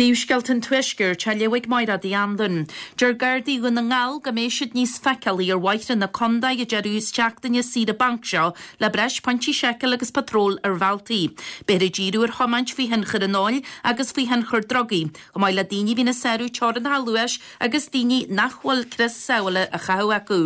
Príomhscéalta an Tuaiscirt á léamh ag Máire Uí Anluain. Deir Gardaí Dhún na nGall go mbeidh siad níos feiceálaí ar bhóithre na contae an deireadh seachtaine saoire bainc seo le breis pointí seiceála agus patról ar bhealtaí. Beifear ag díriú ar thiomáint faoi thionchar an óil agus faoi thionchar drugaí, chomh maith le daoine a bhíonn ag sárú teorainneacha luais agus daoine nach bhfuil crios sábhála á chaitheamh acu.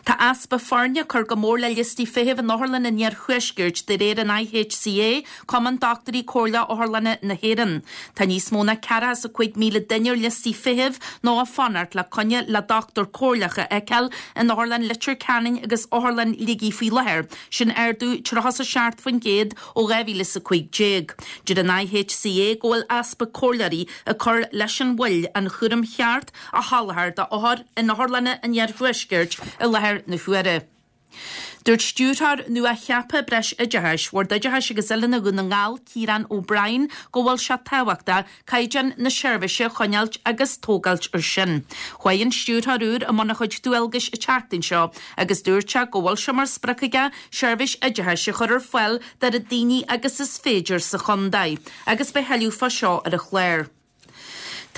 Tá easpa foirne ag cur go mór le liostaí feithimh in otharlanna an iarthuaiscirt, de réir an IHCA, Cumann Dochtúirí Comhairleach Otharlanna na hÉireann. Tá níos mó ná 45,000 duine ar liostaí feithimh nó ag fanacht le coinne le dochtúir comhairleach a fheiceáil in Otharlann Leitir Ceanainn agus Otharlann Shligigh faoi láthair, sin ardú 37% ó 2015. Deir an IHCA go bhfuil easpa comhairleoirí ag cur leis an mhoill an chúram cheart a sholáthar d'othair in otharlanna an iarthuaiscirt i láthair na huaire. Dúirt Stiúrthóir nua-cheaptha Breis Oideachais, Bhord Oideachais agus Oiliúna Dhún na nGall, Ciarán O'Brien, go bhfuil sé tábhachtach caighdeán na seirbhíse a choinneáilt agus tógáilt ar sin. Chuaigh an stiúrthóir úr i mbun a chuid dualgais an tseachtain seo agus dúirt sé go bhfuil sé mar sprioc aige seirbhís oideachais a chur ar fáil d'oiread daoine agus is féidir sa chontae agus beidh thuilleadh fá seo ar an chlár.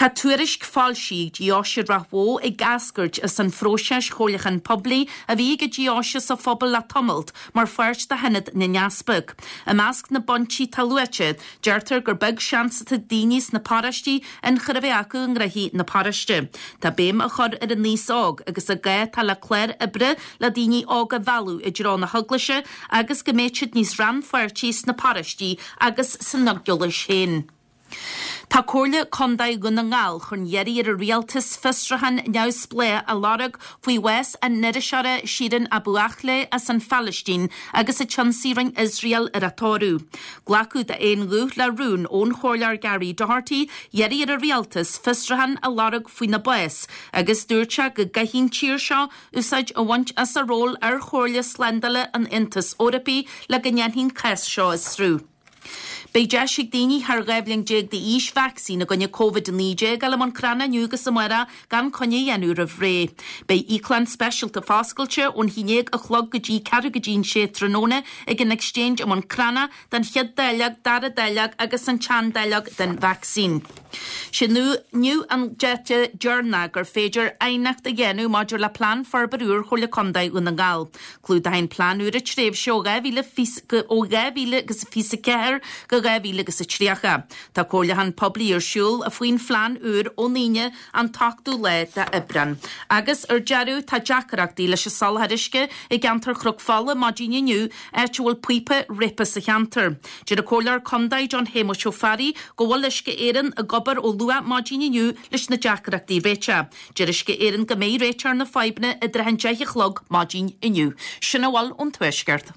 Tá tuairisc foilsithe ag Deoise Ráth Bhoth ag eascairt as an phróiseas chomhairliúcháin poiblí a bhí ag an Deoise sa phobal le tamalt mar pháirt de Shionad na nEaspag. I measc na bpointí atá luaite, deirtear gur beag seans atá ag daoine sna paróistí ionchur a bheith acu i ngnóthaí na paróiste. Tá béim á chur ar an aos óg agus an gá atá le clár oibre le daoine óga a mhealladh i dtreo na heaglaise agus go mbeidh siad níos rannpháirtí sna paróistí agus san eaglais féin. Tá Comhairle Contae Dhún na nGall chun iarraidh ar an Rialtas fiosrúchán neamhspleách a lorg faoi bhás an iriseora Shireen Abu Akleh as an Phalaistín agus an t-ionsaí a rinne Iosrael ar a tórramh. Glacadh d'aon ghuth le rún ón Chomhairleoir Gary Doherty iarraidh ar an Rialtas fiosrúchán a lorg faoina bás agus dúirt sé go gcaithfidh an tír seo úsáid a bhaint as a ról ar Chomhairle Slándála an Aontais Eorpaigh le go ndéanfaí an cás seo a fhiosrú. Beidh deis ag daoine thar 12 bhliain d'aois vacsaín i gcoinne Covid-19 a fháil i mBun Cranncha inniu agus amárach gan coinne a dhéanamh roimh ré. Beidh íoclann speisialta foscailte ón haon déag a chlog go dtí ceathrú go dtí an sé tráthnóna ag an Exchange i mBun Cranncha don chéad dáileog, dara dáileog agus an tsean-dáileog den vacsaín. Sé inniu an dáta deireanach gur féidir aighneacht a dhéanamh maidir le Plean Forbartha úr Chomhairle Contae Dhún na nGall. Clúdóidh an plean úr an tréimhse ó 2024 go 2030. Tá comhairliúchán poiblí ar siúl faoin phlean úr ón Aoine an t-ochtú lá d'Aibreán. Agus ar deireadh, tá deacrachtaí leis an soláthar uisce i gceantar Chnoc Fola maidin inniu, áit a bhfuil píopa réabtha sa cheantar. Deir an Comhairleoir Contae John Shéamuis Ó Fearraigh go bhfuil Uisce Éireann ag obair ó luath maidin inniu leis na deacrachtaí a réiteach. Deir Uisce Éireann go mbeidh réiteach ar na fadhbanna i dtrátha an 10 a chlog maidin inniu. Sin a bhfuil ón Tuaisceart.